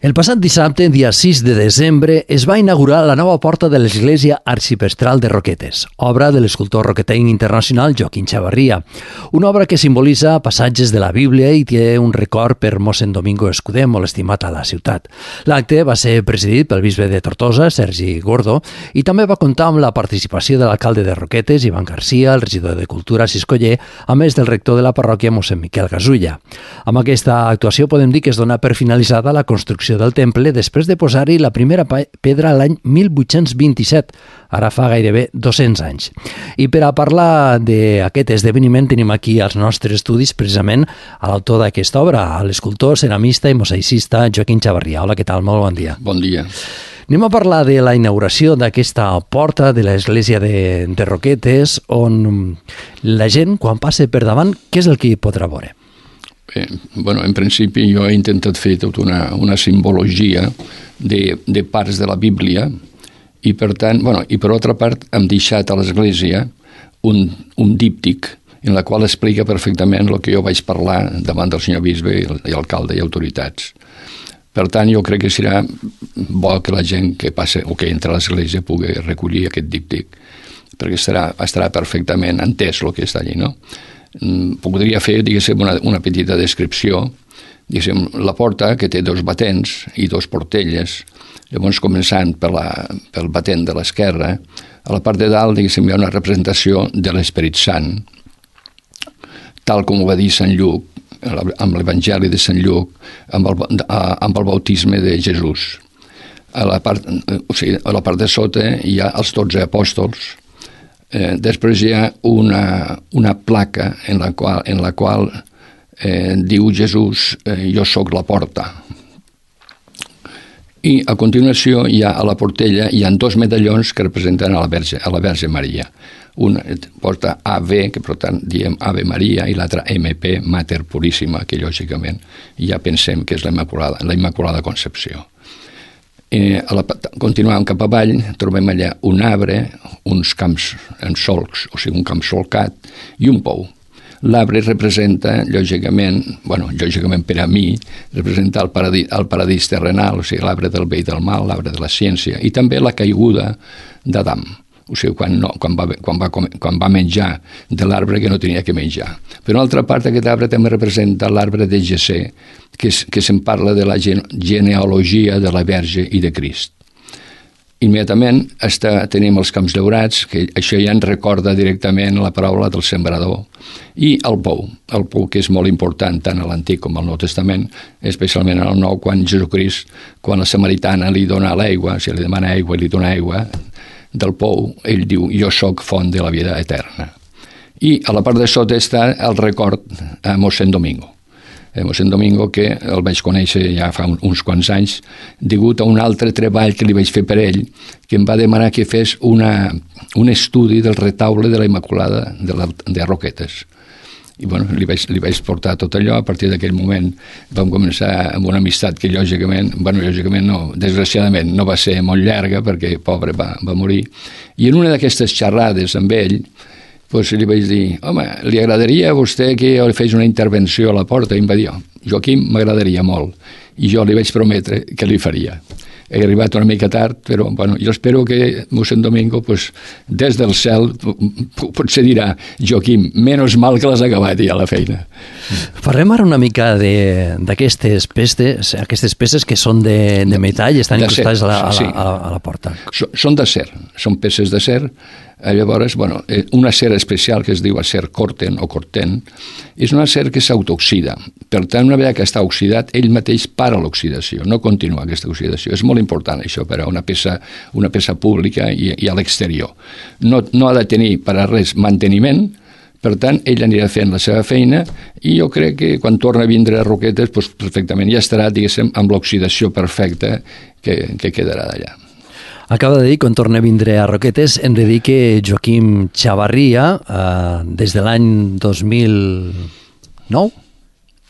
El passat dissabte, dia 6 de desembre, es va inaugurar la nova porta de l'església arxipestral de Roquetes, obra de l'escultor roquetenc internacional Joaquim Chavarria. Una obra que simbolitza passatges de la Bíblia i té un record per mossèn Domingo Escudé, molt estimat a la ciutat. L'acte va ser presidit pel bisbe de Tortosa, Sergi Gordo, i també va comptar amb la participació de l'alcalde de Roquetes, Ivan Garcia, el regidor de Cultura, Siscoller, a més del rector de la parròquia, mossèn Miquel Gasulla. Amb aquesta actuació podem dir que es dona per finalitzada la construcció del temple després de posar-hi la primera pedra l'any 1827, ara fa gairebé 200 anys. I per a parlar d'aquest esdeveniment tenim aquí als nostres estudis precisament a l'autor d'aquesta obra, l'escultor, ceramista i mosaicista Joaquim Chavarria. Hola, què tal? Molt bon dia. Bon dia. Anem a parlar de la inauguració d'aquesta porta de l'església de Roquetes, on la gent, quan passa per davant, què és el que hi podrà veure? En principi jo he intentat fer tota una simbologia de parts de la Bíblia i per tant, i per altra part hem deixat a l'església un díptic en la qual explica perfectament el que jo vaig parlar davant del senyor bisbe i alcalde i autoritats. Per tant, jo crec que serà bo que la gent que passa o que entra a l'església pugui recollir aquest díptic, perquè estarà perfectament entès el que està allí, no? Podria fer, diguéssim, una petita descripció. Diguéssim, la porta, que té 2 batents i 2 portelles, llavors començant pel batent de l'esquerra, a la part de dalt, diguéssim, hi ha una representació de l'Esperit Sant, tal com ho va dir Sant Lluc, amb l'Evangeli de Sant Lluc, amb el bautisme de Jesús. A la part de sota hi ha els 12 apòstols. Després hi ha una placa en la qual diu Jesús, jo sóc la porta. I a continuació a la portella hi ha 2 medallons que representen a la Verge Maria. Una porta AV, que per tant diem Ave Maria, i l'altra MP, Mater Puríssima, que lògicament ja pensem que és la Immaculada Concepció. Continuant cap avall, trobem allà un arbre, uns camps en solcs, o sigui, un camp solcat, i un pou. L'arbre representa, lògicament per a mi, representa el paradís terrenal, o sigui, l'arbre del bé i del mal, l'arbre de la ciència, i també la caiguda d'Adam. O sigui, quan va menjar de l'arbre que no tenia que menjar. Per una altra part, aquest arbre també representa l'arbre de Jessé, que se'n parla de la genealogia de la Verge i de Crist. Immediatament tenim els camps daurats, que això ja ens recorda directament la paraula del sembrador, i el pou que és molt important tant a l'Antic com al Nou Testament, especialment en el Nou, quan Jesucrist, quan la samaritana li dona l'aigua, si li demana aigua i li dona aigua, del pou, ell diu, jo sóc font de la vida eterna. I a la part de sota està el record a mossèn Domingo. Mossèn Domingo, que el vaig conèixer ja fa uns quants anys, degut a un altre treball que li vaig fer per ell, que em va demanar que fes un estudi del retaule de la Immaculada de Roquetes. I li vaig portar tot allò. A partir d'aquell moment vam començar amb una amistat que lògicament no, desgraciadament no va ser molt llarga, perquè pobre va morir. I en una d'aquestes xerrades amb ell li vaig dir, home, li agradaria a vostè que jo li fes una intervenció a la porta? I em va dir, Joaquim, m'agradaria molt. I jo li vaig prometre que li faria. He arribat una mica tard, però jo espero que mossèn Domingo, des del cel, potser dirà, Joaquim, menys mal que l'has acabat ja la feina. Parlem ara una mica d'aquestes peces que són de metall i estan incrustades a la porta. Són d'acer, són peces d'acer. Llavors, un acer especial que es diu acer corten o corten és un acer que s'autooxida. Per tant, una vegada que està oxidat, ell mateix para l'oxidació, no continua aquesta oxidació. És molt important això per a una peça pública i a l'exterior. No ha de tenir per a res manteniment. Per tant, ell anirà fent la seva feina i jo crec que quan torna a vindre a Roquetes, perfectament ja estarà, diguéssim, amb l'oxidació perfecta que quedarà d'allà. Acaba de dir, quan torna a vindre a Roquetes, hem de dir que Joaquim Chavarria, des de l'any 2009,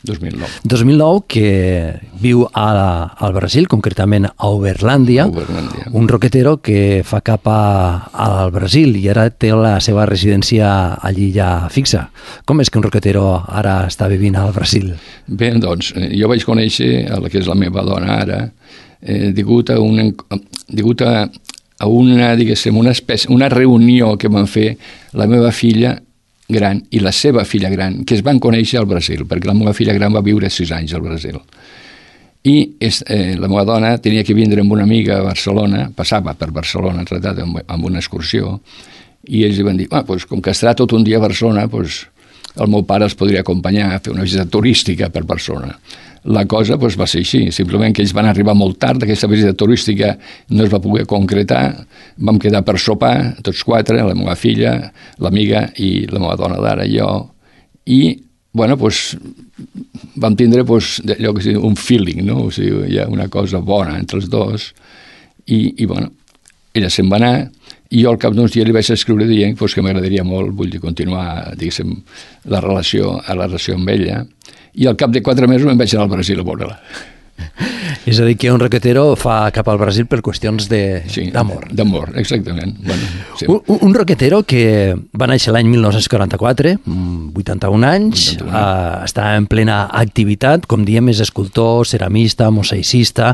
2009. 2009, que viu al Brasil, concretament a Uberlàndia, un roquetero que fa cap al Brasil i ara té la seva residència allí ja fixa. Com és que un roquetero ara està vivint al Brasil? Bé, doncs, jo vaig conèixer la que és la meva dona ara, degut a una, diguéssim, una reunió que van fer la meva filla gran i la seva filla gran, que es van conèixer al Brasil, perquè la meva filla gran va viure 6 anys al Brasil. I la meva dona tenia que vindre amb una amiga a Barcelona, passava per Barcelona, tratat amb una excursió, i ells li van dir, com que estarà tot un dia a Barcelona, el meu pare els podria acompanyar a fer una visita turística per Barcelona. La cosa va ser així, simplement que ells van arribar molt tard, aquesta visita turística no es va poder concretar, vam quedar per sopar, tots 4, la meva filla, l'amiga i la meva dona d'ara, jo, i, vam tindre allò que un feeling, no? O sigui, hi ha una cosa bona entre els dos, i ella se'n va anar, i jo al cap d'uns dies li vaig escriure dient que m'agradaria molt, vull dir, continuar, diguéssim, la relació amb ella, i al cap de 4 mesos me'n vaig anar al Brasil a veure-la. És a dir, que un roquetero fa cap al Brasil per qüestions d'amor. Sí, d'amor, exactament. Sí. Un roquetero que va néixer l'any 1944, 81 anys, està en plena activitat, com diem, és escultor, ceramista, mosaicista.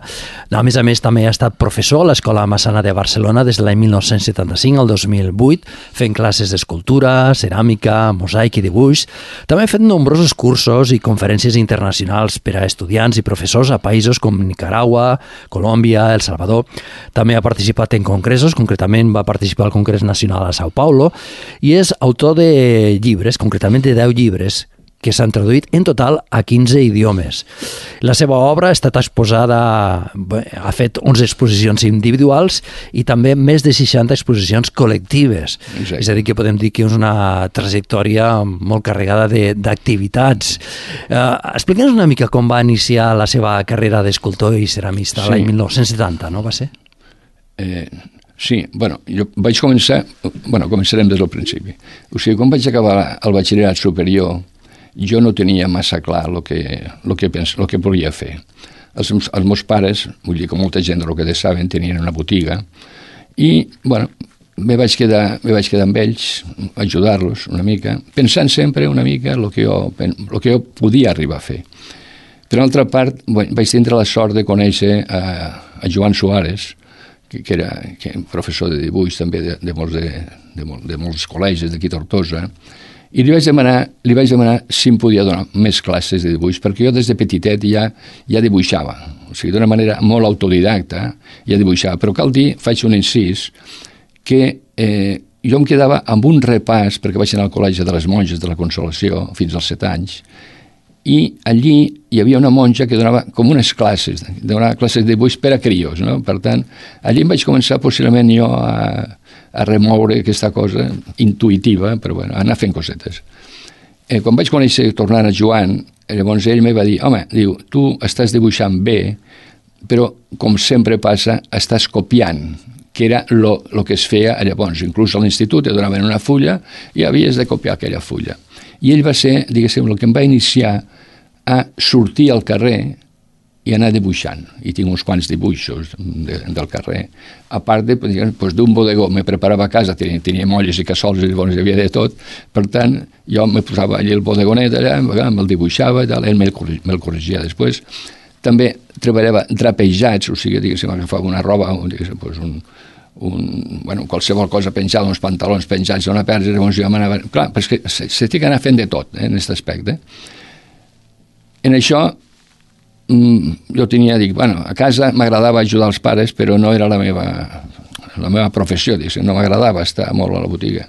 A més, també ha estat professor a l'Escola Massana de Barcelona des de l'any 1975 al 2008, fent classes d'escultura, ceràmica, mosaic i dibuix. També ha fet nombrosos cursos i conferències internacionals per a estudiants i professors a països com Nicaragua, Colòmbia, El Salvador. També ha participat en congressos, concretament va participar al Congrés Nacional a Sao Paulo, i és autor de llibres, concretament de 10 llibres, que s'han traduït en total a 15 idiomes. La seva obra ha estat exposada, ha fet 11 exposicions individuals i també més de 60 exposicions col·lectives. Exacte. És a dir, que podem dir que és una trajectòria molt carregada d'activitats. Explica'ns una mica com va iniciar la seva carrera d'escultor i ceramista l'any 1970, no va ser? Sí, jo vaig començarem des del principi. O sigui, quan vaig acabar el batxillerat superior, jo no tenia massa clar el que volia fer. Els meus pares, vull dir que molta gent del que saben, tenien una botiga i, me vaig quedar amb ells, ajudar-los una mica, pensant sempre una mica el que jo podia arribar a fer. Per altra part, vaig tindre la sort de conèixer a Joan Suárez, que era professor de dibuix també de molts col·legis d'aquí a Tortosa, i li vaig demanar si em podia donar més classes de dibuix, perquè jo des de petitet ja dibuixava, o sigui, d'una manera molt autodidacta, ja dibuixava, però cal dir, faig un incís, que jo em quedava amb un repàs, perquè vaig anar al Col·legi de les Monges de la Consolació fins als 7 anys, i allí hi havia una monja que donava com unes classes, donava classes de dibuix per a crios, no? Per tant, allí em vaig començar possiblement jo a remoure aquesta cosa intuïtiva, però anar fent cosetes. Quan vaig conèixer tornant a Joan, llavors ell me va dir, home, diu, tu estàs dibuixant bé, però com sempre passa, estàs copiant, que era el que es feia llavors. Inclús a l'institut et donaven una fulla i havies de copiar aquella fulla. I ell va ser, diguéssim, el que em va iniciar a sortir al carrer i anar dibuixant. I tinc uns quants dibuixos del carrer. A part d'un bodegó, me preparava a casa, tenia molles i cassols, i llavors hi havia de tot. Per tant, jo me posava allà el bodegonet, allà, me'l dibuixava, ell me'l corregia després. També treballava drapejats, o sigui, diguéssim, agafava una roba, qualsevol cosa penjada, uns pantalons penjats a una persa, llavors jo m'anava... Clar, perquè se té que anar fent de tot, en aquest aspecte. En això, jo a casa m'agradava ajudar els pares, però no era la meva professió, no m'agradava estar molt a la botiga.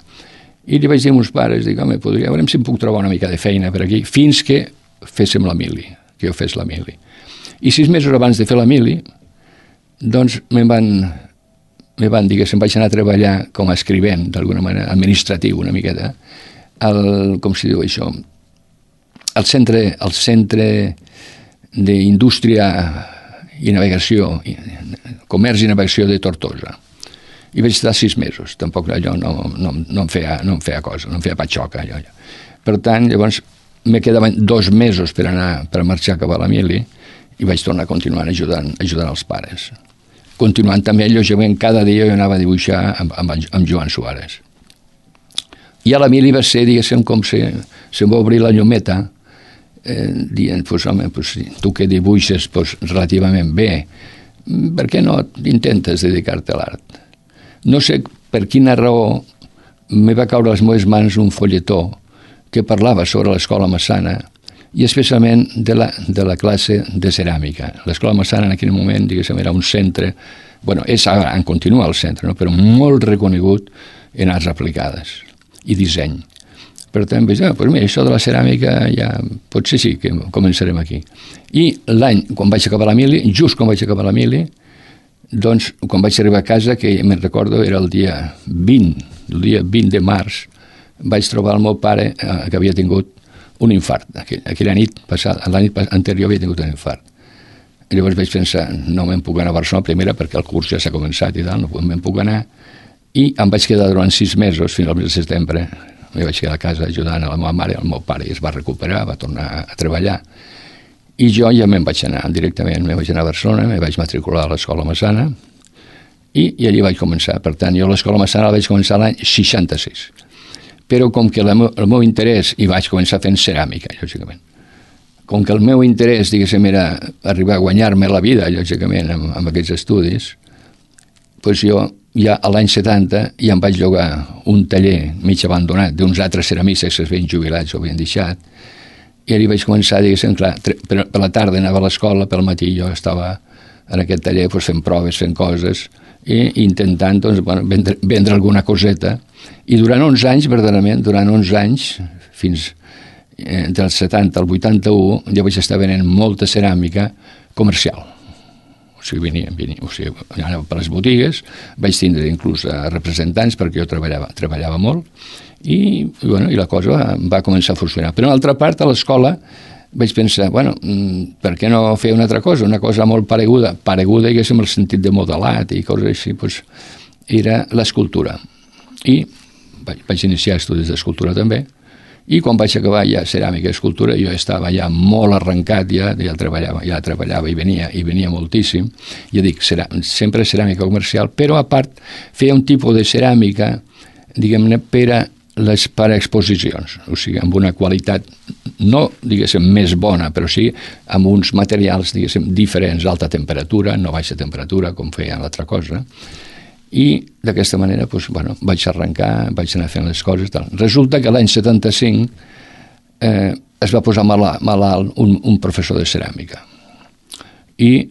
I li vaig dir a meus pares, home, veurem si em puc trobar una mica de feina per aquí, fins que féssim la mili, que jo fes la mili. I 6 mesos abans de fer la mili, doncs me'n van dir que se'n vaig anar a treballar com a escrivent, d'alguna manera, administratiu una miqueta, com s'hi diu això, al centre d'indústria i navegació, comerç i navegació de Tortosa. I vaig estar 6 mesos, tampoc allò no em feia cosa, no em feia patxoca allò. Per tant, llavors me quedaven 2 mesos per marxar cap a la mili i vaig tornar a continuar ajudant els pares. Continuant també, lògicament, cada dia jo anava a dibuixar amb Joan Suárez. I a la mili va ser, diguéssim, com se'm va obrir la llumeta, dient, pues, home, pues, tu que dibuixes pues, relativament bé, per què no intentes dedicar-te a l'art? No sé per quina raó me va caure a les meves mans un folletó que parlava sobre l'Escola Massana i especialment de la classe de ceràmica. L'Escola Massana en aquell moment, diguéssim, era un centre, bueno, és ara, en continua el centre, no? Però molt reconegut en arts aplicades i disseny. Per tant, vaig dir, pues mira, això de la ceràmica ja potser sí que començarem aquí. I l'any, quan vaig acabar la mili, just quan vaig acabar la mili, doncs, quan vaig arribar a casa, que me'n recordo, era el dia 20 de març, vaig trobar el meu pare que havia tingut un infart. Aquella nit passada, la nit anterior havia tingut un infart. I llavors vaig pensar, no me'n puc anar a Barcelona, primera perquè el curs ja s'ha començat i tal, no me'n puc anar, i em vaig quedar durant 6 mesos, fins al mes de setembre, em vaig quedar a casa ajudant a la meva mare, el meu pare es va recuperar, va tornar a treballar, i jo ja me'n vaig anar directament, me'n vaig anar a Barcelona, me vaig matricular a l'Escola Massana, i allí vaig començar. Per tant, jo a l'Escola Massana la vaig començar l'any 66. Però com que el meu interès, i vaig començar fent ceràmica, lògicament, com que el meu interès, diguéssim, era arribar a guanyar-me la vida, lògicament, amb aquests estudis, doncs jo ja a l'any 70 ja em vaig llogar un taller mig abandonat d'uns altres ceramistes que s'havien jubilats o havien deixat, i allà vaig començar, diguéssim, clar, per la tarda anava a l'escola, pel matí jo estava en aquest taller doncs, fent proves, fent coses, i intentant doncs, bueno, vendre alguna coseta, i durant 11 anys, verdaderament, durant 11 anys, fins del 70 al 81, jo vaig estar venent molta ceràmica comercial. O sigui, anava per les botigues, vaig tindre inclús representants perquè jo treballava molt i la cosa va començar a funcionar. Però, a l'altra part, a l'escola vaig pensar, bueno, per què no fer una altra cosa? Una cosa molt pareguda, diguéssim, el sentit de modelat i coses així, doncs, era l'escultura. I vaig iniciar estudis d'escultura també, i quan vaig acabar ja ceràmica i escultura jo estava ja molt arrencat, ja treballava i venia moltíssim. Ja dic, sempre ceràmica comercial, però a part feia un tipus de ceràmica, diguem-ne, per a exposicions, o sigui, amb una qualitat no, diguéssim, més bona, però sí amb uns materials, diguéssim, diferents, alta temperatura, no baixa temperatura, com feia l'altra cosa, i d'aquesta manera doncs, bueno, vaig arrencar, vaig anar fent les coses. Tal. Resulta que l'any 75 es va posar malalt un professor de ceràmica. I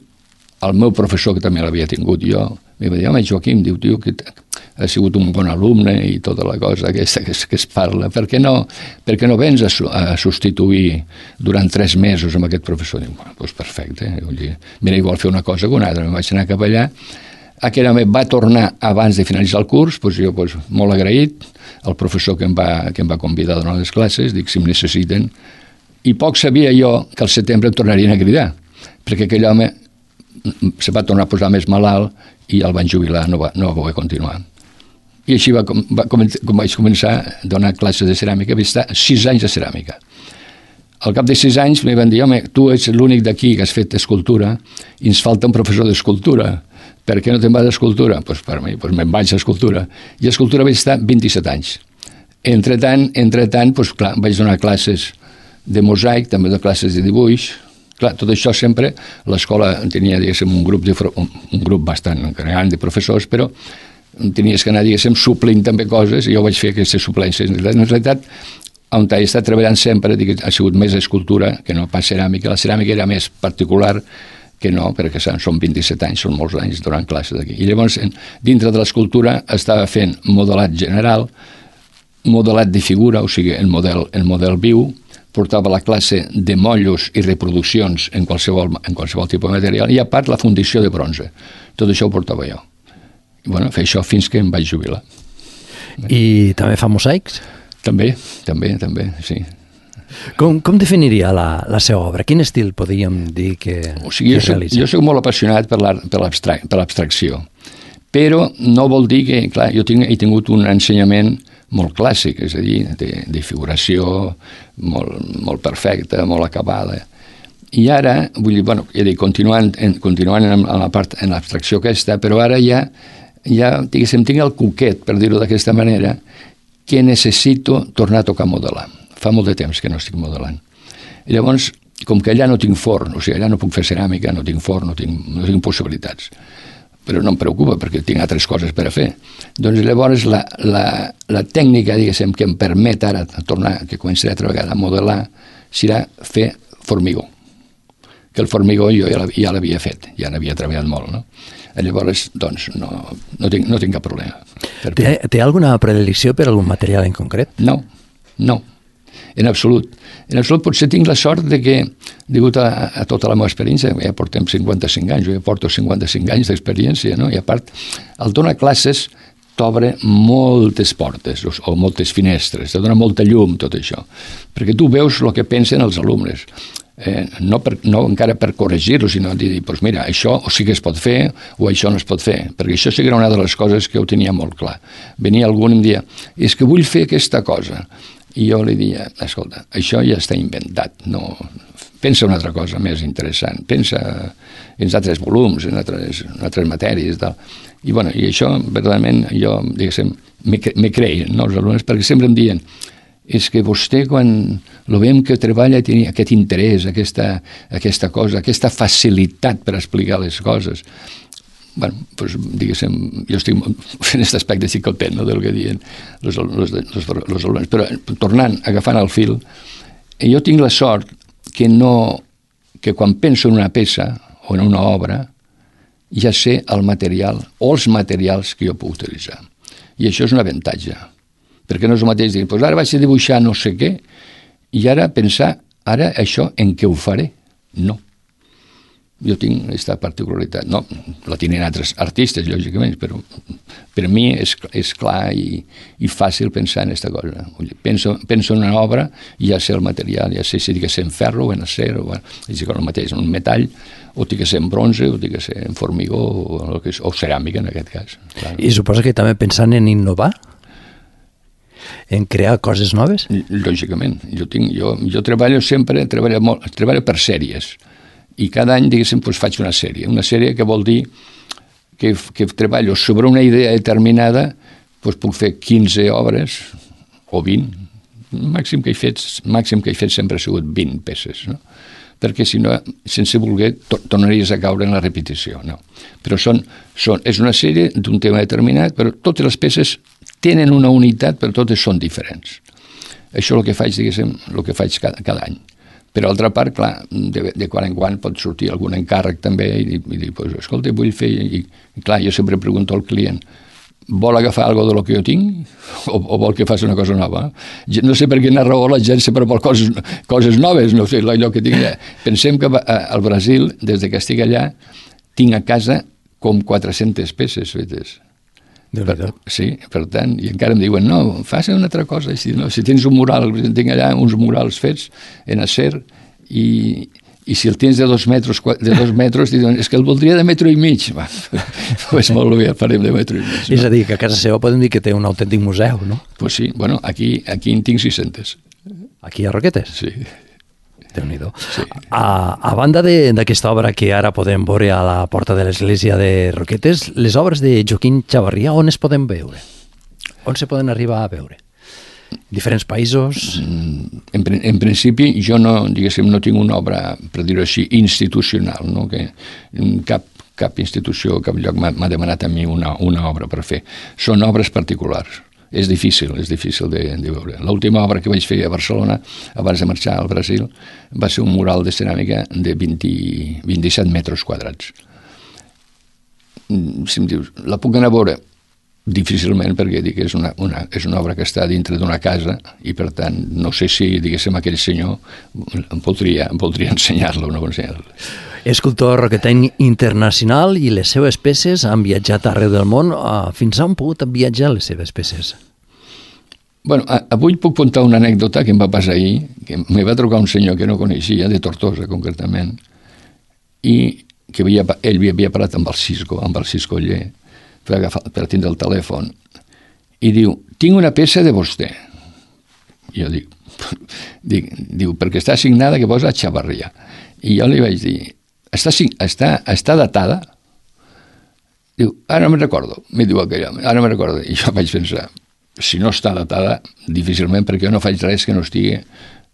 el meu professor, que també l'havia tingut jo, em va dir, home, Joaquim, diu, tio, que ha sigut un bon alumne i tota la cosa aquesta que es parla, per què no vens a substituir durant 3 mesos amb aquest professor? Diu, bueno, doncs perfecte, mira, igual fer una cosa que una altra, em vaig anar cap allà. Aquell home va tornar abans de finalitzar el curs, doncs jo molt agraït, el professor que em va convidar a donar les classes, dic, si em necessiten, i poc sabia jo que al setembre em tornarien a cridar, perquè aquell home se va tornar a posar més malalt i el van jubilar, no va poder continuar. I així com vaig començar a donar classes de ceràmica, vaig estar 6 anys de ceràmica. Al cap de 6 anys em van dir, home, tu ets l'únic d'aquí que has fet escultura i ens falta un professor d'escultura. Per què no te'n vas d'escultura? Doncs per mi, me'n vaig a escultura. I a escultura vaig estar 27 anys. Entretant, doncs clar, vaig donar classes de mosaic, també de classes de dibuix. Clar, tot això sempre, l'escola tenia, diguéssim, un grup bastant gran de professors, però tenies que anar, diguéssim, suplint també coses, i jo vaig fer aquestes suplències. En realitat, on he estat treballant sempre ha sigut més escultura que no pas ceràmica. La ceràmica era més particular que no, perquè són 27 anys, són molts anys donant classes aquí. I llavors, dintre de l'escultura, estava fent modelat general, modelat de figura, o sigui, el model viu, portava la classe de motllos i reproduccions en qualsevol tipus de material, i a part la fundició de bronze. Tot això ho portava jo. I bueno, fer això fins que em vaig jubilar. I també fa mosaics? També, sí. Com definiria la seva obra? Quin estil podríem dir que realitza? Jo soc molt apassionat per l'abstracció, però no vol dir que, clar, jo he tingut un ensenyament molt clàssic, és a dir, de figuració molt perfecta, molt acabada. I ara, vull dir, bueno, continuant en la part, en l'abstracció aquesta, però ara ja diguéssim, tinc el cuquet, per dir-ho d'aquesta manera, que necessito tornar a tocar modelar. Fa molt de temps que no estic modelant. I llavors, com que allà no tinc forn, o sigui, allà no puc fer ceràmica, no tinc forn, no tinc possibilitats, però no em preocupa perquè tinc altres coses per a fer. Doncs llavors la tècnica, diguéssim, que em permet ara tornar, que començaré altra vegada a modelar, serà fer formigó. Que el formigó jo ja l'havia fet, ja n'havia treballat molt, no? Llavors, doncs, no tinc cap problema. Té alguna predilecció per algun material en concret? No, en absolut. En absolut potser tinc la sort de que, degut a tota la meva experiència, ja portem 55 anys, jo ja porto 55 anys d'experiència, no? I a part, el donar classes t'obre moltes portes o moltes finestres, te dona molta llum tot això, perquè tu veus el que pensen els alumnes. No encara per corregir-ho, sinó dir, doncs mira, això sí que es pot fer o això no es pot fer, perquè això sí que era una de les coses que ho tenia molt clar. Venia algú i em deia, és que vull fer aquesta cosa. I jo li deia, escolta, això ja està inventat, no... Pensa una altra cosa més interessant, pensa en altres volums, en altres matèries, tal. I això, verdaderament, jo, diguéssim, me creien, no, els alumnes, perquè sempre em diuen, és que vostè, quan lo veiem que treballa, té aquest interès, aquesta cosa, aquesta facilitat per explicar les coses. Doncs, diguéssim, jo estic, en aquest aspecte estic content, no, del que diuen els alumnes. Però, tornant, agafant el fil, jo tinc la sort que quan penso en una peça o en una obra, ja sé el material o els materials que jo puc utilitzar. I això és un avantatge. Perquè no és el mateix dir, doncs ara vaig a dibuixar no sé què, i ara pensar, ara això en què ho faré? No. Jo tinc aquesta particularitat. No, la tenen altres artistes, lògicament, però per mi és clar i fàcil pensar en aquesta cosa. Penso en una obra i ja sé el material, ja sé si ha de ser en ferro o en acer, és el mateix, en un metall, o ha de ser en bronze, o ha de ser en formigó, o ceràmica, en aquest cas. Clar. I suposa que també pensant en innovar? En crear coses noves? Lògicament. Jo treballo sempre, treballo per sèries. I cada any, diguéssim, faig una sèrie que vol dir que treballo sobre una idea determinada, puc fer 15 obres o 20. Màxim que he fet sempre ha sigut 20 peces, no? Perquè si no, sense voler, tornaries a caure en la repetició, no? Però és una sèrie d'un tema determinat, però totes les peces tenen una unitat, però totes són diferents. Això és el que faig, diguéssim, el que faig cada any. Per altra part, clar, de quan en quan pot sortir algun encàrrec també i dir, escolta, vull fer... I clar, jo sempre pregunto al client, vol agafar alguna del que jo tinc o vol que faci una cosa nova? No sé per quina raó la gent sempre vol coses noves, no sé, allò que tinc allà. Pensem que al Brasil, des que estic allà, tinc a casa com 400 peces fetes. Sí, per tant, i encara em diuen, no, fas una altra cosa, si tens un mural, tinc allà uns murals fets en acer i si el tens de 2 metres, diuen, és que el voldria de 1,5 metres. Doncs molt bé, el farem de 1,5 metres. És a dir, que a casa seva podem dir que té un autèntic museu, no? Doncs sí, bueno, aquí en tinc 600. Aquí a Roquetes? Sí. Déu-n'hi-do. Sí. A banda d'aquesta obra que ara podem veure a la porta de l'església de Roquetes, les obres de Joaquim Chavarria, on es poden veure? On se poden arribar a veure? Diferents països? En principi, jo no tinc una obra, per dir-ho així, institucional, no? Que cap institució, cap lloc m'ha demanat a mi una obra per fer. Són obres particulars. És difícil de veure. L'última obra que vaig fer a Barcelona, abans de marxar al Brasil, va ser un mural de ceràmica de 27 metres quadrats. Si em dius, la puc anar a veure? Difícilment, perquè dic, és una obra que està dintre d'una casa i, per tant, no sé si, diguéssim, aquell senyor em voldria ensenyar-la o no ensenyar-la. Escultor roquetenc internacional i les seves peces han viatjat arreu del món. Fins on han pogut viatjar les seves peces? Bueno, avui puc contar una anècdota que em va passar ahir, que me va trucar un senyor que no coneixia, de Tortosa concretament, i que ell havia parlat amb el Cisco Oller per tindre el telèfon, i diu, tinc una peça de vostè. I jo diu, perquè està signada que posa Chavarria. I jo li vaig dir, està datada? Diu, ara no me'n recordo. Mi diu aquell home, ara no me'n recordo. I jo vaig pensar, si no està datada, difícilment, perquè jo no faig res que no estigui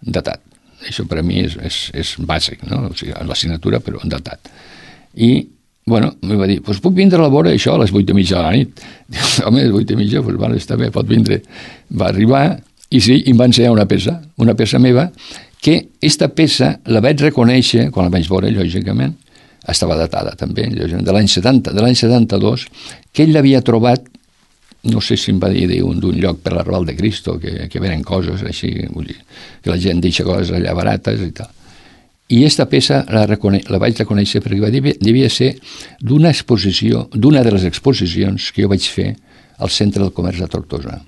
datat. Això per a mi és bàsic, no? O sigui, la signatura, però datat. I, bueno, em va dir, doncs puc vindre a la vora això a les 8:30 de la nit. Diu, home, a les 8:30, doncs vale, està bé, pot vindre. Va arribar, i sí, em va ensenyar una peça meva, que aquesta peça la vaig reconèixer, quan la vaig veure, lògicament, estava datada també, de l'any 72, que ell l'havia trobat, no sé si em va dir d'un lloc per l'Arrabal de Cristo, que venen coses així, vull dir, que la gent deixa coses allà barates i tal. I aquesta peça la vaig reconèixer perquè devia ser d'una exposició, d'una de les exposicions que jo vaig fer al Centre del Comerç de Tortosa,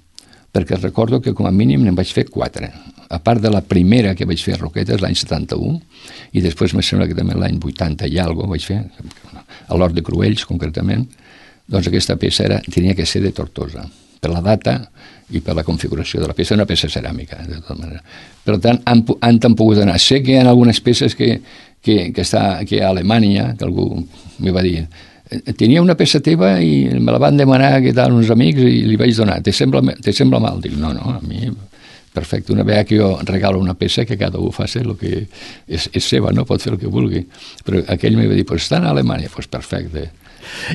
perquè recordo que com a mínim n'en vaig fer 4, a part de la primera que vaig fer a Roquetes l'any 71, i després me sembla que també l'any 80 i alguna vaig fer, a l'Hort de Cruells concretament. Doncs aquesta peça tenia que ser de Tortosa, per la data i per la configuració de la peça, una peça ceràmica, de tota manera. Per tant, han pogut anar. Sé que hi ha algunes peces que a Alemanya, que algú m'hi va dir, tenia una peça teva i me la van demanar que tal uns amics i li vaig donar. Te sembla mal? Dic, no, a mi perfecte. Una vegada que jo regalo una peça, que cada un faci el que és seva, no? Pot fer el que vulgui. Però aquell m'hi va dir, pues està a Alemanya, pues perfecte.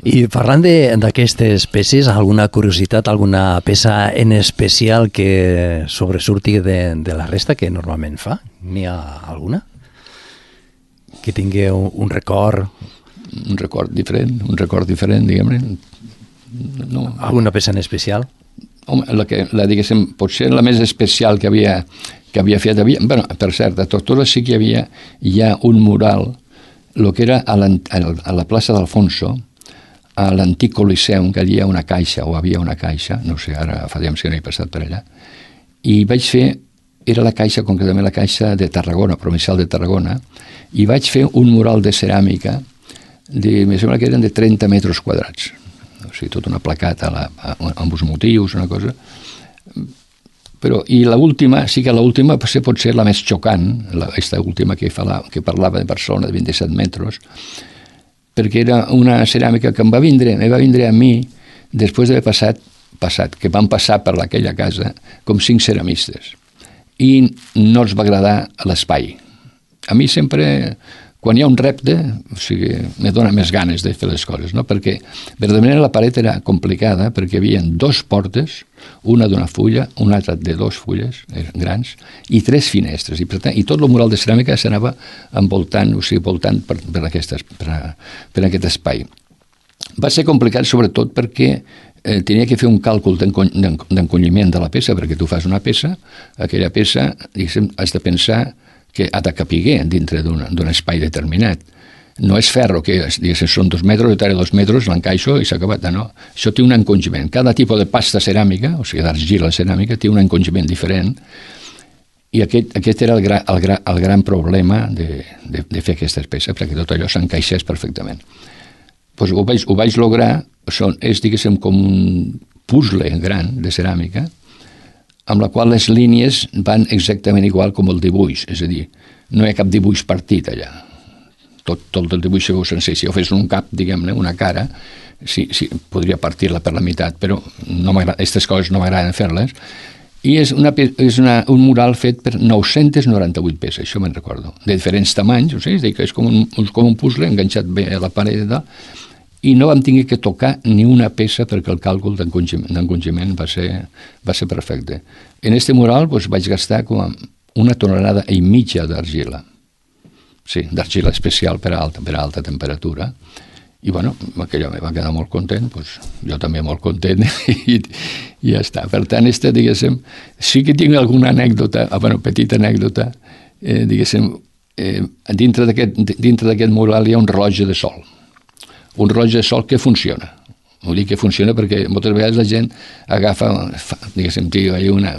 I parlant d'aquestes peces, alguna curiositat, alguna peça en especial que sobresurti de la resta que normalment fa? N'hi ha alguna? Que tingui un record? Un record diferent, diguem-ne. No. Alguna peça en especial? Home, diguéssim, potser la més especial que havia fet, bueno, per cert, a Tortosa sí que hi ha un mural, el que era a la plaça d'Alfonso, a l'antic Coliseum, que allà hi ha una caixa, o havia una caixa, no sé, ara fa temps que no he passat per allà, i vaig fer, era la caixa, concretament la caixa de Tarragona, provincial de Tarragona, i vaig fer un mural de ceràmica, em sembla que eren de 30 metres quadrats, o sigui, tota una placata amb uns motius, una cosa. Però, i l'última, sí que l'última pot ser la més xocant, aquesta última que parlava de Barcelona, de 27 metres, perquè era una ceràmica que em va vindre a mi després d'haver passat, que van passar per aquella casa com 5 ceramistes i no els va agradar l'espai. A mi sempre, quan hi ha un repte, o sigui, me dona més ganes de fer les coses, no? Perquè verdaderament la paret era complicada perquè hi havia 2 portes, una d'una fulla, una altra de 2 fulles grans i 3 finestres, i tot el mural de ceràmica s'anava envoltant, o sigui, voltant per aquest espai. Va ser complicat sobretot perquè tenia que fer un càlcul d'encolliment de la peça, perquè tu fas una peça, aquella peça, diguéssim, has de pensar que ha de capiguer dintre d'un espai determinat. No és ferro, que diguéssim, són 2 metres, jo taré 2 metres, l'encaixo i s'ha acabat. No, això té un encongiment. Cada tipus de pasta ceràmica, o sigui, d'argila ceràmica, té un encongiment diferent, i aquest era el gran problema de fer aquestes peces, perquè tot allò s'encaixés perfectament. Pues ho vaig lograr, és, diguéssim, com un puzzle gran de ceràmica, amb la qual les línies van exactament igual com el dibuix, és a dir, no hi ha cap dibuix partit allà. Tot el dibuix se veu sencer. Si jo fes un cap, diguem-ne, una cara, sí, podria partir-la per la meitat, però aquestes coses no m'agraden fer-les. I és un mural fet per 998 peces, això me'n recordo, de diferents tamanys, o sigui, és com un puzzle enganxat bé a la paret i tal, i no vam tenir que tocar ni una peça perquè el càlcul d'encongiment va ser perfecte. En este mural vaig gastar com 1,5 tonelades d'argila. Sí, d'argila especial per a alta temperatura. I bueno, aquell home va quedar molt content, jo també molt content, i ja està. Per tant, diguéssim, sí que tinc alguna anècdota, petita anècdota, diguéssim, dintre d'aquest mural hi ha un rellotge de sol. Un rellotge de sol que funciona. Vull dir que funciona perquè moltes vegades la gent agafa, diguéssim,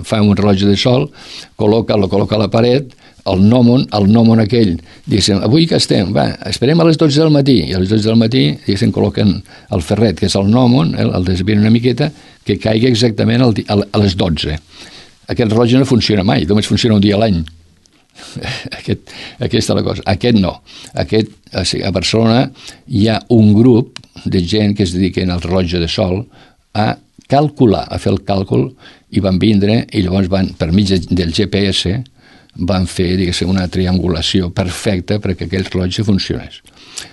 fa un rellotge de sol, lo col·loca a la paret, el gnòmon aquell, diguéssim, avui que estem, va, esperem a les 12 del matí, i a les 12 del matí, diguéssim, col·loquen el ferret, que és el gnòmon, el desvien una miqueta, que caigui exactament a les 12. Aquest rellotge no funciona mai, només funciona un dia a l'any. Aquesta és la cosa. Aquest no. A Barcelona hi ha un grup de gent que es dediquen al rellotge de sol a calcular, a fer el càlcul, i van vindre, i llavors van, per mig del GPS, van fer, diguéssim, una triangulació perfecta perquè aquell rellotge funcionés.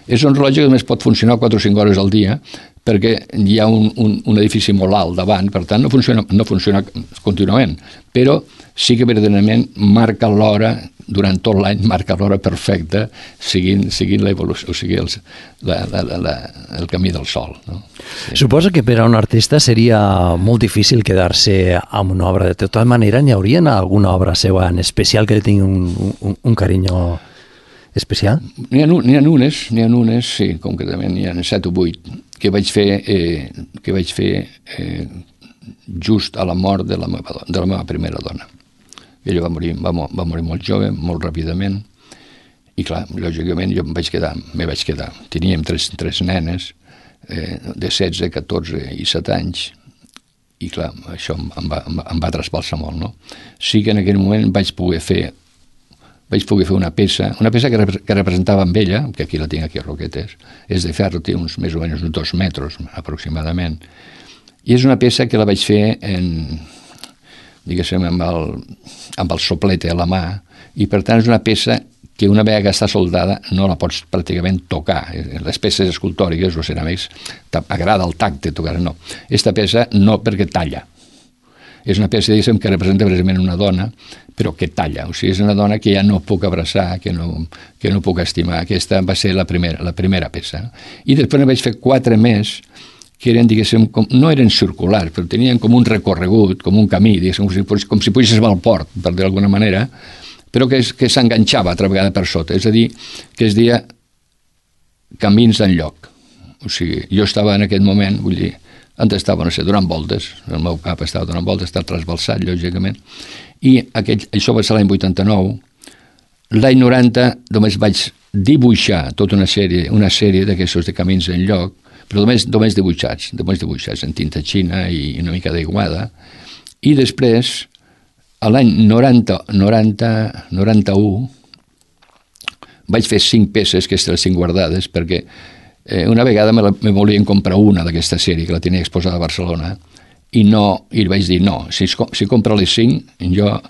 És un rellotge que només pot funcionar 4 o 5 hores al dia perquè hi ha un edifici molt alt davant, per tant no funciona contínuament, però sí que verdaderament marca l'hora, durant tot l'any marca l'hora perfecta seguint l'evolució, o sigui, el camí del sol. No? Sí. Suposo que per a un artista seria molt difícil quedar-se amb una obra. De tota manera, n'hi hauria alguna obra seva en especial que li tingui un carinyo especial? N'hi ha unes, sí, concretament n'hi ha 7 o 8 que vaig fer just a la mort de la meva primera dona. Ella va morir molt jove, molt ràpidament, i clar, lògicament jo me vaig quedar. Teníem tres nenes de 16, 14 i 7 anys, i clar, això em va trasbalsar molt, no? Sí que en aquell moment vaig poder fer una peça que representava amb ella, que aquí la tinc aquí a Roquetes, és de ferro, té més o menys uns 2 metres aproximadament, i és una peça que la vaig fer diguéssim, amb el soplete a la mà, i per tant és una peça que una vegada que està soldada no la pots pràcticament tocar. Les peces escultòriques o ceràmics agrada el tacte tocar, no. Aquesta peça no, perquè talla. És una peça, diguéssim, que representa precisament una dona, però que talla. O sigui, és una dona que ja no puc abraçar, que no puc estimar. Aquesta va ser la primera peça. I després ne vaig fer 4 més, que eren, diguéssim, no eren circulars, però tenien com un recorregut, com un camí, diguéssim, com si pugessis al port, per dir d'alguna manera, però que s'enganxava altra vegada per sota. És a dir, que es deia camins enlloc. O sigui, jo estava en aquest moment, vull dir, antes estava, no sé, donant voltes, el meu cap estava donant voltes, estava trasbalsat, lògicament, i això va ser l'any 89. L'any 90 només vaig dibuixar tota una sèrie d'aquests de camins enlloc, però només dibuixats en tinta xina i una mica d'aiguada, i després, a l'any 91, vaig fer 5 peces, que les 5 guardades, perquè una vegada me volien comprar una d'aquesta sèrie, que la tenia exposada a Barcelona, i li vaig dir, no, si compra les 5, jo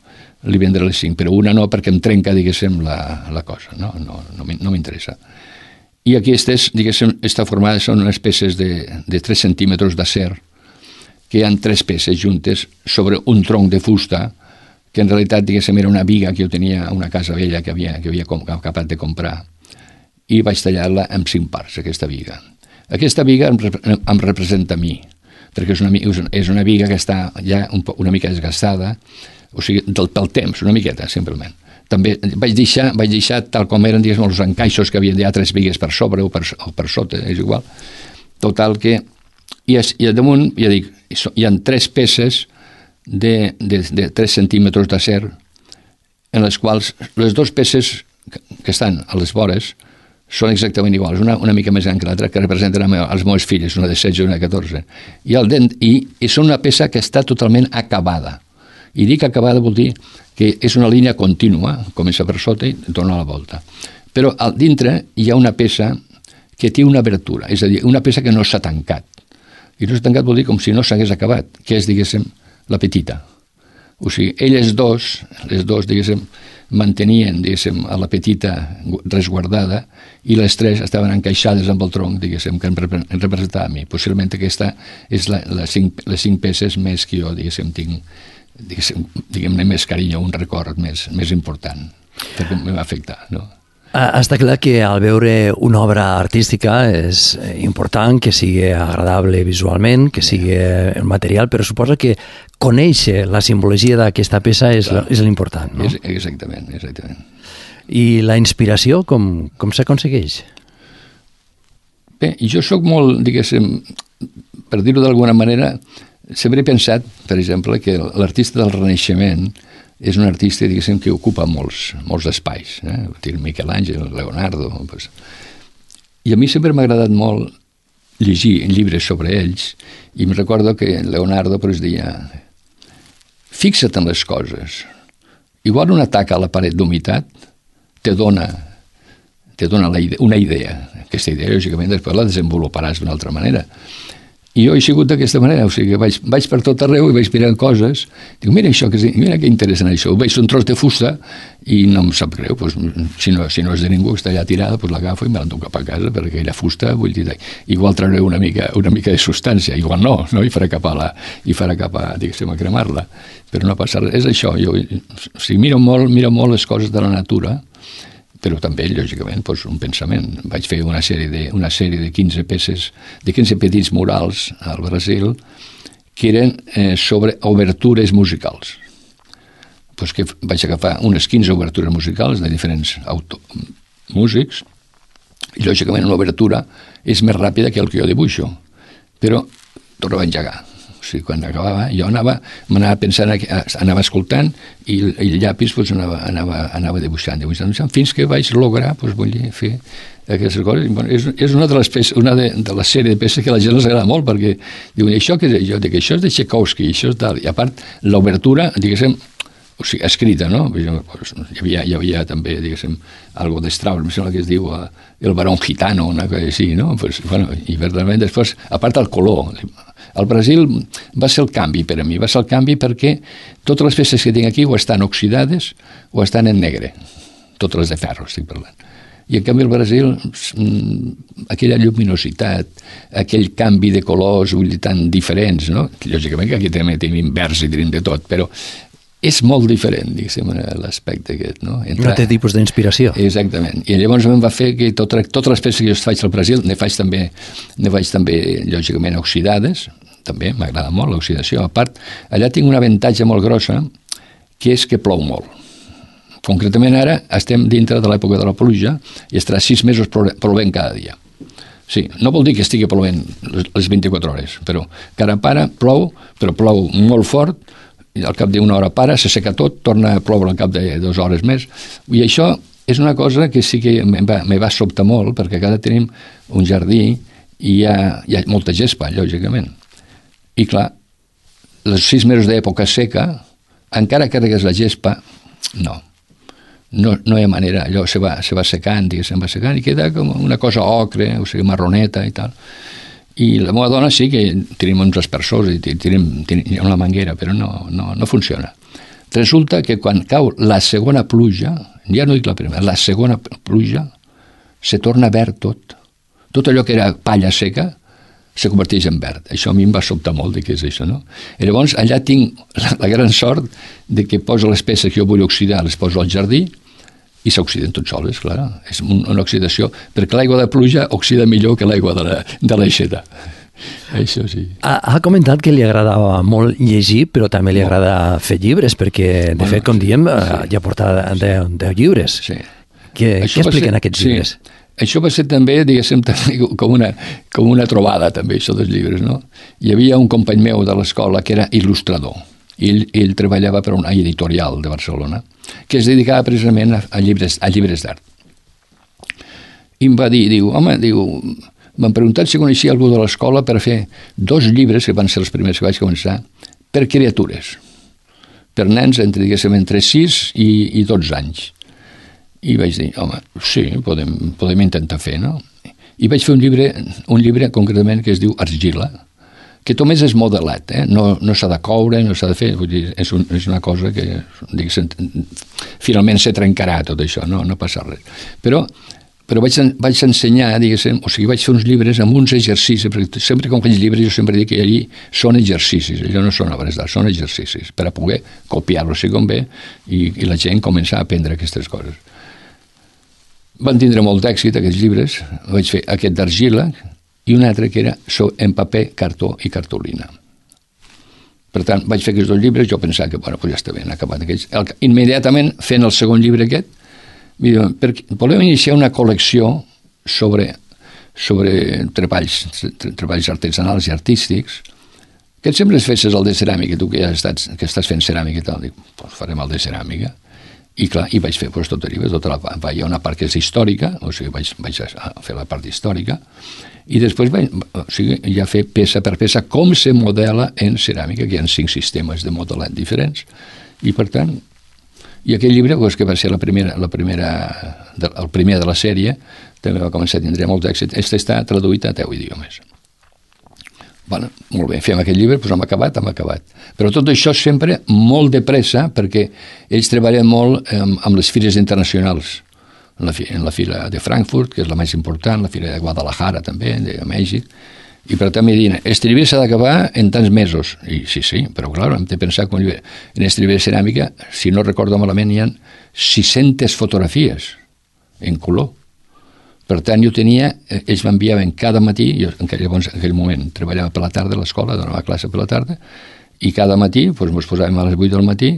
li vendré les 5, però una no, perquè em trenca, diguéssim, la cosa, no m'interessa. I aquestes, diguéssim, formades són unes peces de 3 centímetres d'acer, que hi ha 3 peces juntes sobre un tronc de fusta, que en realitat, diguéssim, era una viga que jo tenia a una casa vella que havia acabat de comprar, i vaig tallar-la en 5 parts, aquesta viga. Aquesta viga em representa a mi, perquè és una viga que està ja una mica desgastada, o sigui, pel temps, una miqueta, simplement. També vaig deixar tal com eren, diguéssim, els encaixos que havien de 3 vigues per sobre o per sota, és igual. Total que... I a damunt, ja dic, hi ha 3 peces de 3 centímetres d'acer, en les quals les 2 peces que estan a les vores són exactament iguals, una mica més gran que l'altra, que representen els meus fills, una de 16 i una de 14. I són una peça que està totalment acabada. I dic acabada vol dir que és una línia contínua, comença per sota i torna a la volta. Però al dintre hi ha una peça que té una obertura, és a dir, una peça que no s'ha tancat. I no s'ha tancat vol dir com si no s'hagués acabat, que és, diguéssim, la petita. O sigui, les dos, diguéssim, mantenien, diguéssim, a la petita resguardada i les 3 estaven encaixades amb el tronc, diguéssim, que em representava a mi. Possiblement aquesta és les 5 peces més que jo, diguéssim, tinc, diguem-ne, més carinyo, un record més important, perquè em va afectar, no? Està clar que al veure una obra artística és important que sigui agradable visualment, que sigui material, però suposa que conèixer la simbologia d'aquesta peça és l'important, no? Exactament. I la inspiració, com s'aconsegueix? Bé, jo sóc molt, diguéssim, per dir-ho d'alguna manera, sempre he pensat, per exemple, que l'artista del Renaixement és un artista, diguéssim, que ocupa molts espais. Miquel Àngel, Leonardo... Pues. I a mi sempre m'ha agradat molt llegir llibres sobre ells, i em recordo que Leonardo pues, deia fixa't en les coses. Igual un atac a la paret d'humitat te dona una idea. Aquesta idea, lògicament, després la desenvoluparàs d'una altra manera. I jo he sigut d'aquesta manera, o sigui, vaig per tot arreu i vaig mirant coses, dic, mira això, mira que interessant això, veig un tros de fusta i no em sap greu, doncs, si no és de ningú, està allà tirada, doncs l'agafo i me l'enduc cap a casa, perquè aquella fusta, vull dir, igual trauré una mica de substància, igual no, i farà cap a, diguéssim, a cremar-la, però no passa res, és això, jo, o sigui, miro molt les coses de la natura, però també, lògicament, doncs, un pensament. Vaig fer una sèrie de 15 peces, de 15 petits murals al Brasil, que eren sobre obertures musicals. Doncs que vaig agafar unes 15 obertures musicals de diferents músics, i lògicament una obertura és més ràpida que el que jo dibuixo, però tornava a engegar. O sigui, quan acabava, jo m'anava pensant, anava escoltant i el llapis doncs, anava dibuixant, fins que vaig lograr, doncs, vull dir, fer aquestes coses. Bueno, és una de les sèries de peces que a la gent els agrada molt, perquè diuen, això què és? Jo dic, això és de Tchaikovsky, això és tal. I a part, l'obertura, diguéssim, o sigui, escrita, no? Hi havia també, diguéssim, algo de Strauss, em sembla que es diu El barón gitano, una cosa així, no? Pues, bueno, i verdaderament després, a part el color, al Brasil va ser el canvi per a mi, va ser el canvi perquè totes les peces que tinc aquí o estan oxidades o estan en negre, totes les de ferro estic parlant. I en canvi al Brasil aquella lluminositat, aquell canvi de colors tan diferents, no? Lògicament que aquí també tenim verds i tenim de tot, però és molt diferent, diguéssim, l'aspecte aquest, no? Un altre tipus d'inspiració. Exactament. I llavors em va fer que totes les peces que jo faig al Brasil, ne faig també, lògicament, oxidades, també m'agrada molt l'oxidació. A part, allà tinc un avantatge molt grossa, que és que plou molt. Concretament ara estem dintre de l'època de la pluja i estarà 6 mesos plovent cada dia. Sí, no vol dir que estigui plovent les 24 hores, però cada para plou, però plou molt fort, i al cap d'una hora para, se seca tot, torna a ploure al cap de 2 hores més, i això és una cosa que sí que me va sobtar molt, perquè cada tenim un jardí i hi ha molta gespa, lògicament. I clar, els 6 mesos d'època seca, encara que carregues la gespa, no hi ha manera, allò se va secant, i queda com una cosa ocre, o sigui, marroneta i tal. I la meva dona sí que tenim uns aspersors i tenim una manguera, però no funciona. Resulta que quan cau la segona pluja, ja no dic la primera, la segona pluja, se torna verd tot. Tot allò que era palla seca se converteix en verd. Això a mi em va sobtar molt de què és això, no? I llavors allà tinc la gran sort de que poso les peces que jo vull oxidar, les poso al jardí i s'oxiden tots soles, clar. És una oxidació, perquè l'aigua de pluja oxida millor que l'aigua de l'aixeta. Això sí. Ha comentat que li agradava molt llegir, però també li agrada fer llibres, perquè, de fet, com diem, ja porta 10 llibres. Sí. Què expliquen aquests llibres? Això va ser també, diguéssim, com una trobada, també, això dels llibres, no? Hi havia un company meu de l'escola que era il·lustrador. Ell treballava per una editorial de Barcelona que es dedicava precisament a llibres d'art. I em va dir, m'han preguntat si coneixia algú de l'escola per fer 2 llibres, que van ser els primers que vaig començar, per criatures, per nens entre 6 i 12 anys. I vaig dir, home, sí, podem intentar fer, no? I vaig fer un llibre concretament que es diu Argila, que només és modelat, no s'ha de coure, no s'ha de fer, vull dir, és una cosa que finalment se trencarà tot això, no passa res. Però vaig ensenyar, diguéssim, o sigui, vaig fer uns llibres amb uns exercicis, perquè sempre com faig llibres jo sempre dic que allí són exercicis, allò no són obres d'art, són exercicis, per a poder copiar-lo si convé i la gent començar a aprendre aquestes coses. Van tindre molt d'èxit aquests llibres, vaig fer aquest d'argila i un altre que era en paper, cartó i cartolina. Per tant, vaig fer aquests 2 llibres, jo pensava que, ja està ben acabat aquests. Immediatament, fent el segon llibre aquest, volem iniciar una col·lecció sobre treballs artesanals i artístics, que sempre es fessis el de ceràmica, tu que ja estàs fent ceràmica i tal, dic, doncs farem el de ceràmica. I clar, i vaig fer tot arriba, tota la part. Hi ha una part que és històrica, o sigui, vaig a fer la part històrica, i després vaig ja fer peça per peça com se modela en ceràmica, que hi ha 5 sistemes de modelat diferents, i per tant, i aquell llibre, que va ser el primer de la sèrie, també va començar a tindre molt d'èxit, està traduït a 10 idiomes. Bueno, molt bé, fem aquest llibre, doncs hem acabat. Però tot això sempre molt de pressa, perquè ells treballen molt amb les fires internacionals. En la fira de Frankfurt, que és la més important, la fira de Guadalajara també, de Mèxic, i per tant em diuen, este llibre s'ha d'acabar en tants mesos. I sí, però clar, hem de pensar que en este llibre de ceràmica, si no recordo malament, hi ha 600 fotografies en color. Per tant, ells m'enviaven cada matí, jo en aquell moment treballava per la tarda a l'escola, donava classe per la tarda, i cada matí ens posàvem a les 8 del matí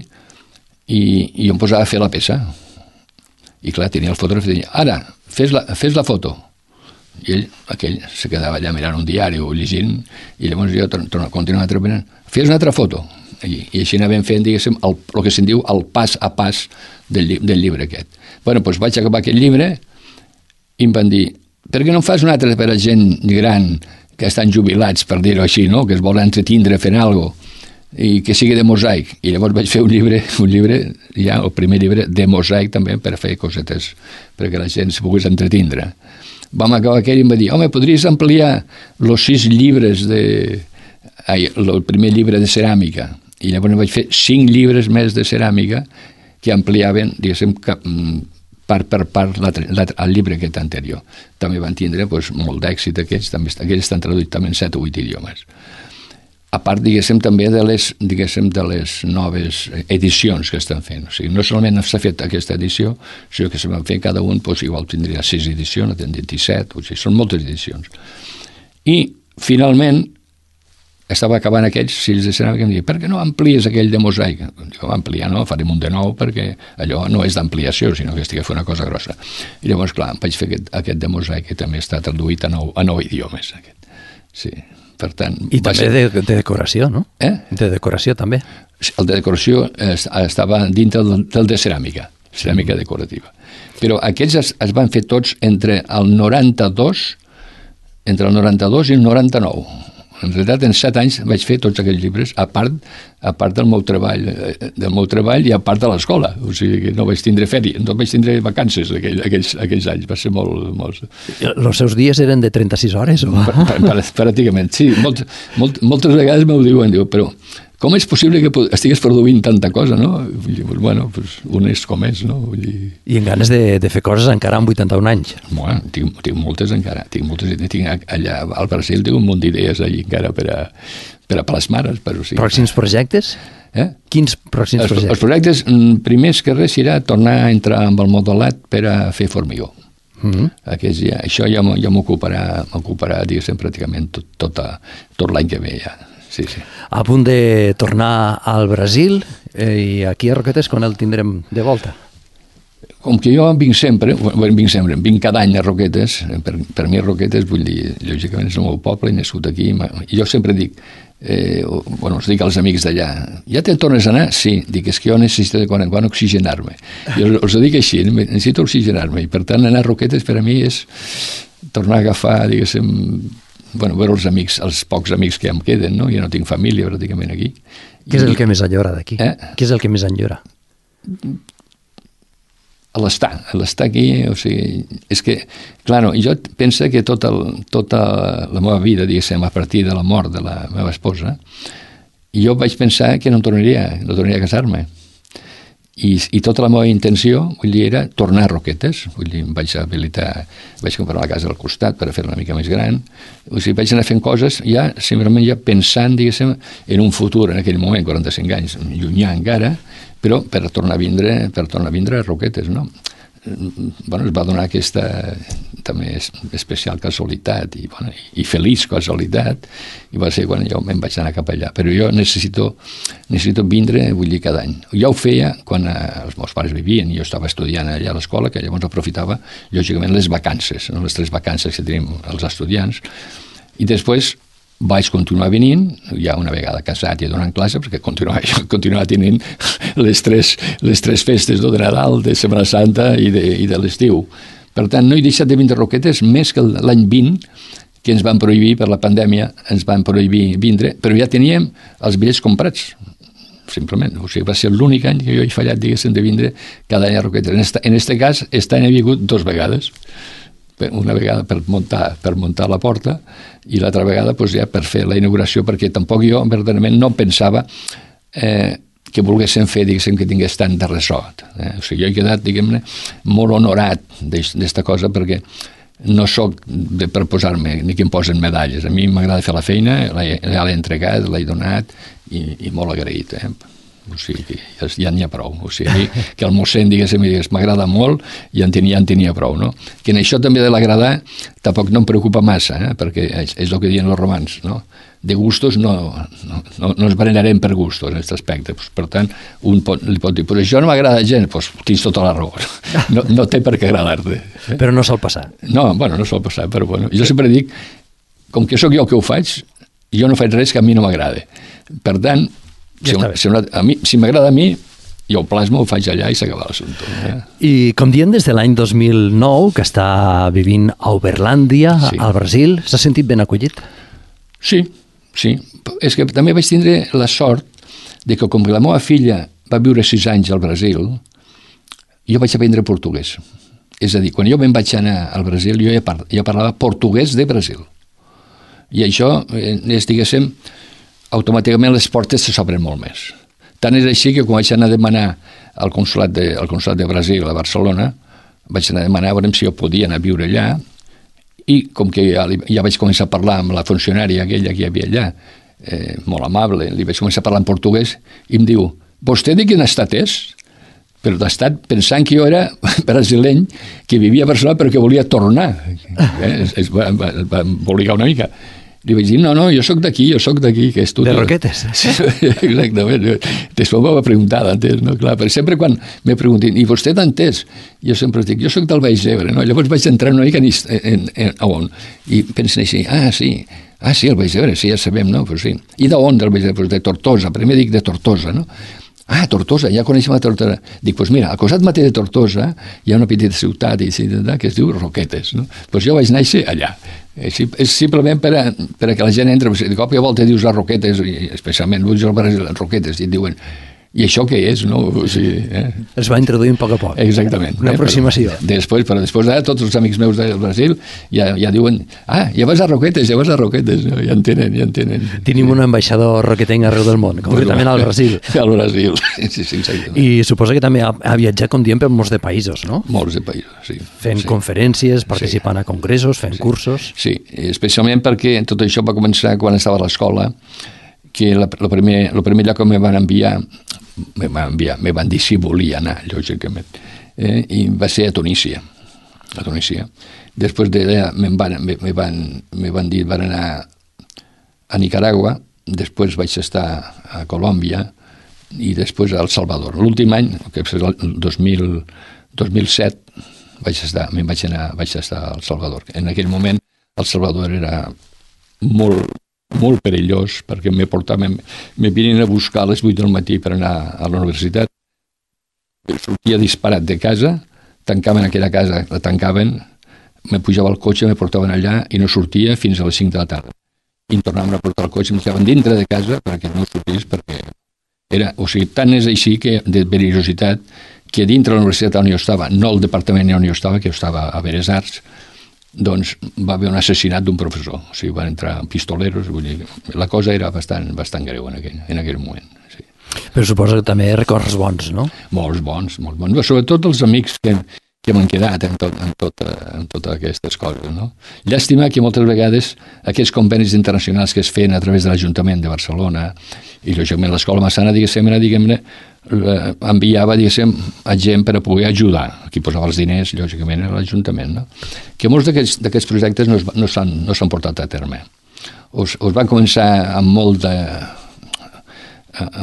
i jo em posava a fer la peça. I clar, tenia el fotògraf i deia, ara, fes la foto. I aquell se quedava allà mirant un diari o llegint, i llavors jo continuava treballant, fes una altra foto. I així anàvem fent, diguéssim, el que se'n diu el pas a pas del llibre aquest. Bueno, doncs vaig acabar aquest llibre, i em van dir, per què no fas un altre per a gent gran que estan jubilats, per dir-ho així, no? Que es volen entretindre fent alguna cosa, i que sigui de mosaic? I llavors vaig fer un llibre, ja el primer llibre de mosaic també, per fer cosetes, perquè la gent se pogués entretindre. Vam acabar aquell i em va dir, home, podries ampliar els 6 llibres el primer llibre de ceràmica? I llavors vaig fer 5 llibres més de ceràmica que ampliaven, diguéssim, part per part el llibre aquest anterior. També van tindre molt d'èxit aquests estan traduïts també en 7 o 8 idiomes. A part, diguéssim, també de les noves edicions que estan fent. O sigui, no solament s'ha fet aquesta edició, sinó que se van fer cada un, igual tindria 6 edicions, en 27, o sigui, són moltes edicions. I, finalment, estava acabant aquells fills de ceràmica i em deia, per què no amplies aquell de mosaic? Dic, ampliar no, farem un de nou perquè allò no és d'ampliació, sinó que estic a fer una cosa grossa. I llavors, clar, vaig fer aquest de mosaic que també està traduït a 9 idiomes. Sí, per tant... I també de decoració, no? De decoració també. El de decoració estava dintre del de ceràmica decorativa. Però aquests es van fer tots entre el 92 i el 99. En realitat, en 7 anys vaig fer tots aquells llibres, a part del meu treball i a part de l'escola. O sigui que no vaig tindre fèria, no vaig tindre vacances aquells anys. Va ser molt... Els seus dies eren de 36 hores? O? Pràcticament, sí. Moltes vegades m'ho diuen, però com és possible que estigues produint tanta cosa, no? Bueno, un és com és, no? I en ganes de fer coses encara amb 81 anys? Bueno, tinc moltes encara. Tinc allà al Brasil, tinc un munt d'idees allà encara per a plasmar-les. Pròxims projectes? Quins pròxims projectes? Els projectes, primers que res, serà tornar a entrar amb el modelat per a fer formigó. Això ja m'ocuparà, diguéssim, pràcticament tot l'any que ve ja. Sí. A punt de tornar al Brasil i aquí a Roquetes quan el tindrem de volta? Com que jo vinc cada any a Roquetes, per mi Roquetes, vull dir, lògicament és el meu poble, he nascut aquí, i jo sempre dic, els dic als amics d'allà, ja te'n tornes a anar? Sí, dic, és que jo necessito de quan en quan oxigenar-me. Jo els dic així, necessito oxigenar-me, i per tant anar a Roquetes per a mi és tornar a agafar, diguéssim, veure els amics, els pocs amics que em queden, no? Jo no tinc família pràcticament aquí. Què és el que més enyora d'aquí? Què és el que més enyora? L'estar aquí, o sigui, és que, clar, jo penso que tota la meva vida, diguéssim, a partir de la mort de la meva esposa, jo vaig pensar que no tornaria a casar-me. I tota la meva intenció, vull dir, era tornar a Roquetes. Vull dir, vaig comprar la casa al costat per fer-la una mica més gran. O sigui, vaig anar fent coses simplement pensant, diguéssim, en un futur, en aquell moment, 45 anys, llunyà encara, però per tornar a vindre a Roquetes, no? Es va donar aquesta també especial casualitat i feliç casualitat, i va ser quan jo me'n vaig anar cap allà. Però jo necessito vindre, vull dir, cada any. Ja ho feia quan els meus pares vivien, jo estava estudiant allà a l'escola, que llavors aprofitava, lògicament, les vacances, no? Les 3 vacances que tenim els estudiants, i després vaig continuar venint, ja una vegada casat i donant classe, perquè continuava tenint les tres festes de Nadal, de Setmana Santa i de l'estiu. Per tant, no he deixat de vindre a Roquetes més que l'any 20, que ens van prohibir per la pandèmia, ens van prohibir vindre, però ja teníem els bitllets comprats, simplement. O sigui, va ser l'únic any que jo he fallat, diguéssim, de vindre cada any a Roquetes. En aquest cas, aquest any he vingut 2 vegades. Una vegada per muntar la porta i l'altra vegada doncs, ja per fer la inauguració, perquè tampoc jo verdaderament no pensava que volguéssim fer, diguéssim, que tingués tant de ressò. O sigui, jo he quedat, diguem-ne, molt honorat d'esta cosa, perquè no sóc per posar-me ni que em posen medalles. A mi m'agrada fer la feina, ja l'he entregat, l'he donat i molt agraït. O sigui, que ja n'hi ha prou. O sigui, que el mossèn, diguéssim, m'agrada molt i ja en tenia prou. No? Que en això també de l'agradar tampoc no em preocupa massa, perquè és el que diuen els romans. No? De gustos no ens barallarem per gustos en aquest aspecte. Per tant, un li pot dir, però això no m'agrada gent, doncs tens tota la raó. No té per què agradar-te. Però no sol passar. No sol passar, però bueno. Jo sempre dic, com que sóc jo que ho faig, jo no faig res que a mi no m'agrada. Per tant, si m'agrada a mi, jo ho plasmo, ho faig allà i s'acaba l'assumpte. I com dient des de l'any 2009, que està vivint a Uberlàndia, al Brasil, s'ha sentit ben acollit? Sí. És que també vaig tindre la sort de que com que la meva filla va viure 6 anys al Brasil, jo vaig aprendre portuguès. És a dir, quan jo me'n vaig anar al Brasil, jo parlava portuguès de Brasil. I això, diguéssim, automàticament les portes s'obren molt més. Tant és així que quan vaig anar a demanar al consolat de Brasil a Barcelona, vaig anar a demanar a veure si jo podia anar a viure allà, i com que ja vaig començar a parlar amb la funcionària aquella que hi havia allà, molt amable, li vaig començar a parlar en portuguès, i em diu, vostè de quin estat és? Però d'estat pensant que jo era brasileny, que vivia a Barcelona però que volia tornar. Es va embolicar una mica. Li vaig dir, no, jo sóc d'aquí, que és tu. De Roquetes. Sí, exactament. Després m'ho va preguntar d'entès, no? Clar, però sempre quan me preguntin, i vostè d'entès? Jo sempre dic, jo sóc del Baix Ebre, no? Llavors vaig entrar una mica a on? I pensen així, sí, el Baix Ebre, sí, ja sabem, no? Pues sí. I d'on del Baix Ebre? Pues de Tortosa, primer dic de Tortosa, no? Tortosa, ja coneixem a Tortosa. Dic, doncs mira, al costat mateix de Tortosa hi ha una petita ciutat que es diu Roquetes, no? Doncs jo vaig néixer allà. És simplement per a que la gent entra, de cop i volta dius a Roquetes, i especialment vull dir a Roquetes, i et diuen, i això què és, no? O sigui, es va introduint a poc a poc. Exactament. Una aproximació. Però després tots els amics meus del Brasil ja diuen, ja vas a Roquetes, no? Ja en tenen. Tenim un ambaixador roquetenc arreu del món, concretament al Brasil. Al Brasil, sí, exactament. I suposa que també ha viatjat, com diem, per molts de països, no? Molts de països, sí. Fent conferències, participant a congressos, fent cursos. Sí, especialment perquè tot això va començar quan estava a l'escola, que el primer lloc que me van dir si volia anar, lògicament, i va ser a Tunísia. Després d'allà me van dir, van anar a Nicaragua, després vaig estar a Colòmbia i després a El Salvador. L'últim any, que és el 2007, vaig estar a El Salvador. En aquell moment El Salvador era molt perillós, perquè me venien a buscar a les 8 del matí per anar a la universitat. Sortia disparat de casa, tancaven aquella casa, la tancaven, me pujava al cotxe, me portaven allà i no sortia fins a les 5 de la tarda. I em tornaven a portar el cotxe, em quedaven dintre de casa perquè no sortís, perquè era, o sigui, tant és així que de perillositat que dintre de la universitat on jo estava, no el departament on jo estava, que jo estava a Belles Arts, doncs va haver un assassinat d'un professor. O sigui, van entrar pistoleros, vull dir, la cosa era bastant greu en aquell moment. Sí. Però suposo que també records bons, no? Molts bons. Sobretot els amics que m'han quedat en totes aquestes coses, no? Llàstima que moltes vegades aquests convenis internacionals que es feien a través de l'Ajuntament de Barcelona i lògicament l'Escola Massana, diguem-ne, enviava, a gent per a poder ajudar. Qui posava els diners, lògicament, era l'Ajuntament, no? Que molts d'aquests projectes no s'han portat a terme. Us van començar amb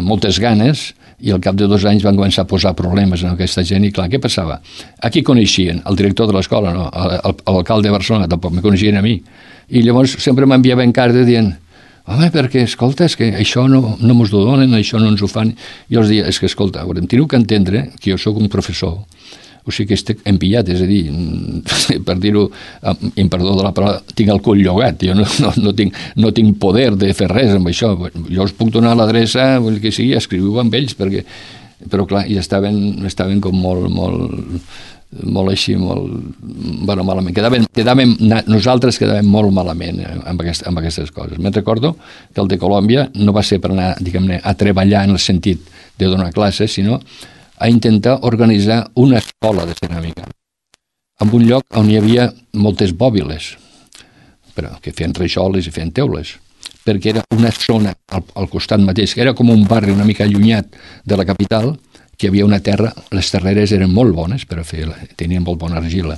moltes ganes i al cap de 2 anys van començar a posar problemes en aquesta gent i clar, què passava? Aquí coneixien el director de l'escola, no? L'alcalde de Barcelona tampoc me coneixien a mi i llavors sempre m'enviaven cartes dient home, perquè, escolta, és que això no mos ho donen, això no ens ho fan. Jo els deia, és que, escolta, teniu que entendre que jo sóc un professor, o sigui que estic empillat, és a dir, per dir-ho, en perdó de la paraula, tinc el cul llogat, jo no tinc poder de fer res amb això. Jo us puc donar l'adreça, vull que sigui, escriviu amb ells, però clar, i estaven com molt així, bueno, malament. Nosaltres quedàvem molt malament amb aquestes coses. Me'n recordo que el de Colòmbia no va ser per anar, diguem-ne, a treballar en el sentit de donar classes, sinó a intentar organitzar una escola de ceràmica en un lloc on hi havia moltes bòbiles, però que feien rajoles i feien teules, perquè era una zona al costat mateix, que era com un barri una mica allunyat de la capital, que hi havia una terra, les terreres eren molt bones per a fer-la, tenien molt bona argila.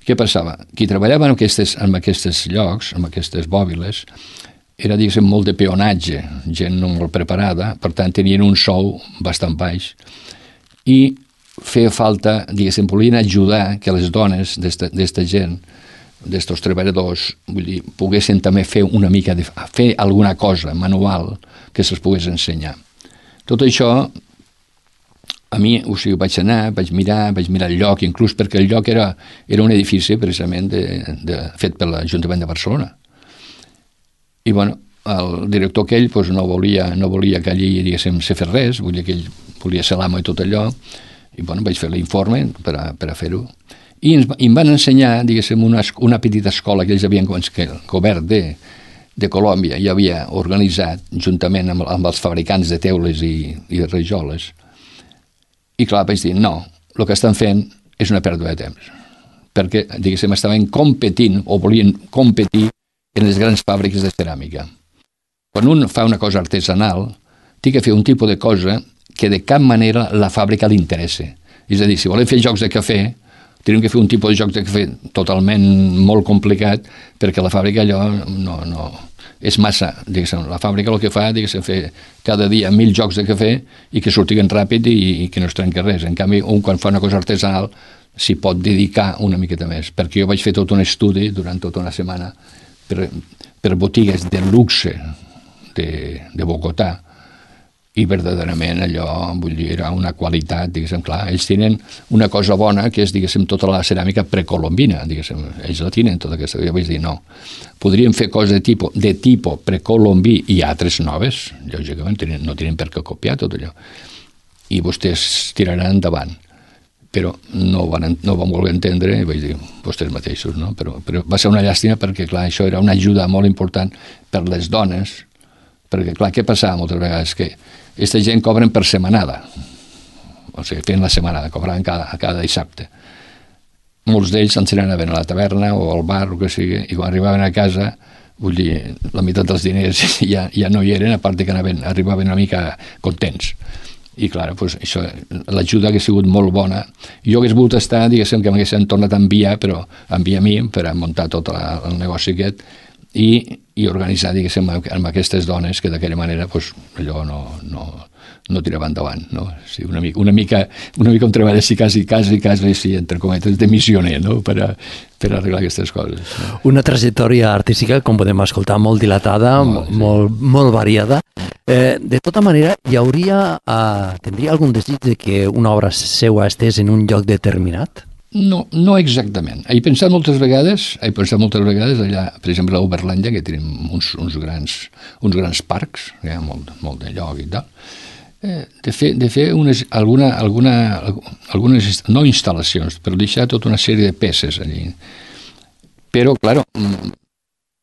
Què passava? Qui treballava en aquests llocs, en aquestes bòbiles, era, diguéssim, molt de peonatge, gent no molt preparada, per tant tenien un sou bastant baix, i feia falta, diguéssim, volien ajudar que les dones d'esta gent, d'estos treballadors, vull dir, poguessin també fer una mica fer alguna cosa manual que se'ls pogués ensenyar. Tot això, a mi, o sigui, vaig anar, vaig mirar el lloc, inclús perquè el lloc era un edifici precisament fet per l'Ajuntament de Barcelona. I, bueno, el director aquell doncs, no volia que allí, diguéssim, se fes res, vull dir que ell volia ser l'amo i tot allò, i bueno, vaig fer l'informe per a fer-ho. I em van ensenyar, diguéssim, una petita escola que ells havien, que el govern de Colòmbia ja havia organitzat, juntament amb els fabricants de teules i rajoles. I clar, vaig dir, no, el que estan fent és una pèrdua de temps, perquè, diguéssim, estaven competint o volien competir en les grans fàbriques de ceràmica. Quan un fa una cosa artesanal, té que fer un tipus de cosa que de cap manera la fàbrica li interessa. És a dir, si volem fer jocs de cafè, tenim que fer un tipus de jocs de cafè totalment molt complicat, perquè la fàbrica allò no és massa. Diguéssim, la fàbrica el que fa, diguéssim, fer cada dia 1.000 jocs de cafè i que sortiguen ràpid i que no es trenqui res. En canvi, un quan fa una cosa artesanal s'hi pot dedicar una miqueta més, perquè jo vaig fer tot un estudi durant tota una setmana per botigues de luxe de Bogotà, i verdaderament allò, vull dir, era una qualitat, diguéssim, clar, ells tenen una cosa bona que és, diguéssim, tota la ceràmica precolombina, diguéssim, ells la tenen tota aquesta, jo vaig dir, no, podríem fer coses de tipus precolombí i altres noves, lògicament no tenen per què copiar tot allò, i vostès tiraran endavant, però no van voler entendre, i vaig dir, vostès mateixos, no? Però va ser una llàstima perquè, clar, això era una ajuda molt important per les dones, perquè, clar, què passava moltes vegades? Que aquesta gent cobren per setmanada, o sigui, fent la setmanada, cobraven cada dissabte. Molts d'ells s'ensenaven a la taverna o al bar, o que sigui, i quan arribaven a casa, vull dir, la meitat dels diners ja no hi eren, a part que arribaven una mica contents. I, clar, doncs, això, l'ajuda ha sigut molt bona. Jo hagués volgut estar, diguéssim, que m'haguessin tornat a enviar, però enviar a mi per a muntar tot el negoci aquest i organitzar, diguéssim, amb aquestes dones que d'aquella manera, doncs, allò no tirava endavant, no? Sí, una mica un treball així quasi, sí, entre cometes, de missioner, no? Per arreglar aquestes coses. No? Una trajectòria artística, com podem escoltar, molt dilatada, molt variada. De tota manera, tindria algun desig de que una obra seva estés en un lloc determinat? No exactament. He pensat moltes vegades allà, per exemple, a Uberlàndia, que tenim uns grans parcs, hi ha molt de lloc i tal, de fer algunes no instal·lacions, però deixar tota una sèrie de peces allí. Però, clar,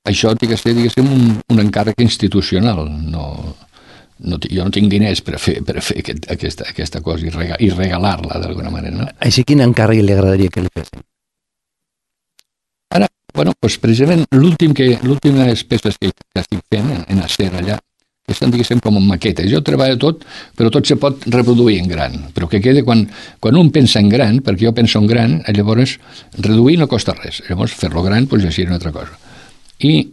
això té que ser, diguéssim, un encàrrec institucional. Jo no tinc diners per fer aquesta cosa i regalar-la d'alguna manera. No? Així, quin encàrrec li agradaria que li fessin? Ara, doncs precisament l'últimes peces que estic fent en acer allà, que estan, diguéssim, com en maquetes. Jo treballo tot, però tot se pot reproduir en gran. Però que quede quan un pensa en gran, perquè jo penso en gran, llavors reduir no costa res. Llavors fer-lo gran, doncs ja seria una altra cosa. I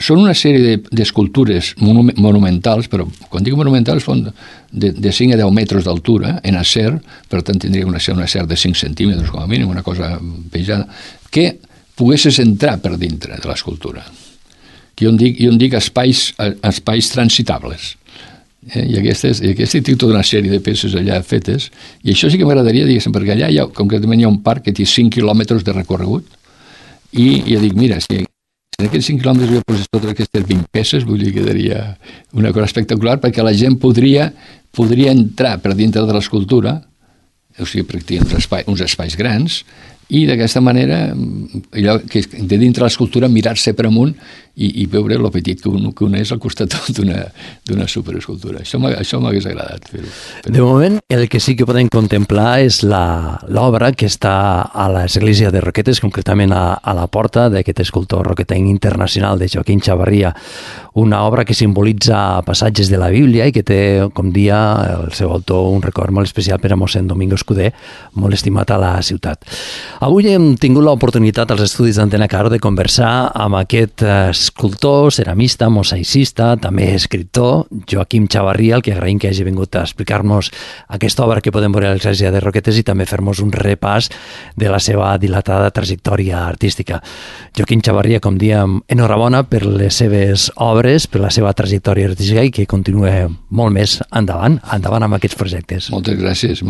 són una sèrie d'escultures monumentals, però quan dic monumentals són de 5 a 10 metres d'altura, en acer, per tant tindria un acer de 5 centímetres com a mínim, una cosa pesada, que poguessis entrar per dintre de l'escultura. que jo en dic espais transitables. I aquesta té tota una sèrie de peces allà fetes, i això sí que m'agradaria, diguéssim, perquè allà concretament hi ha un parc que té 5 quilòmetres de recorregut, i jo dic, mira, si en aquests 5 quilòmetres jo posés totes aquestes 20 peces, vull dir que quedaria una cosa espectacular, perquè la gent podria entrar per dintre de l'escultura, o sigui, practicar uns espais grans, i d'aquesta manera, allò que de dintre l'escultura, mirar-se per amunt i veure lo petit que un és al costat d'una superescultura. Això m'hagués agradat fer-ho. De moment, el que sí que podem contemplar és l'obra que està a l'església de Roquetes, concretament a la porta d'aquest escultor roquetenc internacional de Joaquim Chavarria, una obra que simbolitza passatges de la Bíblia i que té, com dia el seu autor, un record molt especial per a mossèn Domingo Escudé, molt estimat a la ciutat. Avui hem tingut l'oportunitat als estudis d'Antena Caro de conversar amb aquest escultor, ceramista, mosaicista, també escriptor, Joaquim Chavarria, el que agraïm que hagi vingut a explicar-nos aquesta obra que podem veure a l'església de Roquetes i també fer-nos un repàs de la seva dilatada trajectòria artística. Joaquim Chavarria, com diem, enhorabona per les seves obres, per la seva trajectòria artística i que continue molt més endavant amb aquests projectes. Moltes gràcies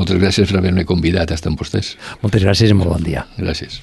per haver-me convidat a estar amb vostès. Moltes gràcies i molt bon dia. Gràcies.